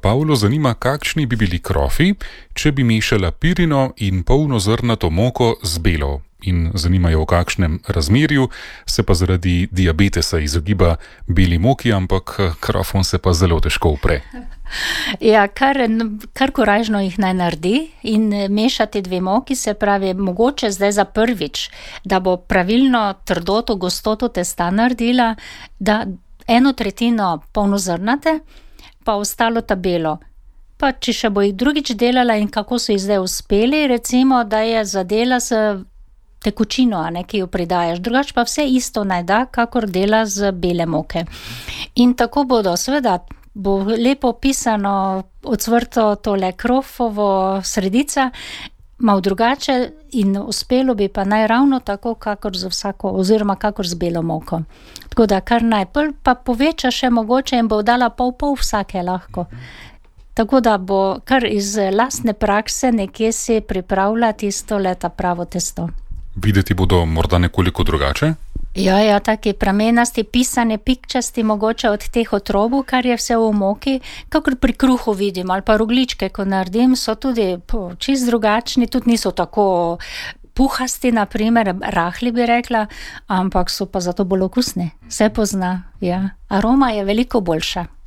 Pavlo zanima, kakšni bi bili krofi, če bi mešala pirino in polnozrnato moko z belo. In zanimajo, v kakšnem razmerju se pa zaradi diabetesa izogiba beli moki, ampak krofom se pa zelo težko upre. Ja, kar korajžno jih naj naredi in mešati dve moki, se pravi, mogoče zdaj za prvič, da bo pravilno trdoto, gostoto testa naredila, da 1/3 polnozrnate, pa ostalo ta belo. Pa če še bo jih drugič delala in kako so jih zdaj uspeli, recimo, da je zadela s tekočino, ki jo pridajaš. Drugač pa vse isto naj da, kakor dela z bele moke. In tako bodo, seveda, bo lepo pisano ocvrto tole krofovo sredica, malo drugače in uspelo bi pa naj ravno tako, kakor z vsako, oziroma kakor z belo moko. Tako da kar najprej pa poveča še mogoče in bo dala pol vsake lahko. Tako da bo kar iz lastne prakse nekje si pripravlja tisto leta pravo testo. Videti bodo morda nekoliko drugače? Ja, taki pramenasti, pisane, pikčasti, mogoče od teh otrobov, kar je vse v moki, kakor pri kruhu vidim, ali pa rogljičke, ko naredim, so tudi čist drugačni, tudi niso tako puhasti, naprimer, rahli bi rekla, ampak so pa zato bolj okusni. Vse pozna, ja. Aroma je veliko boljša.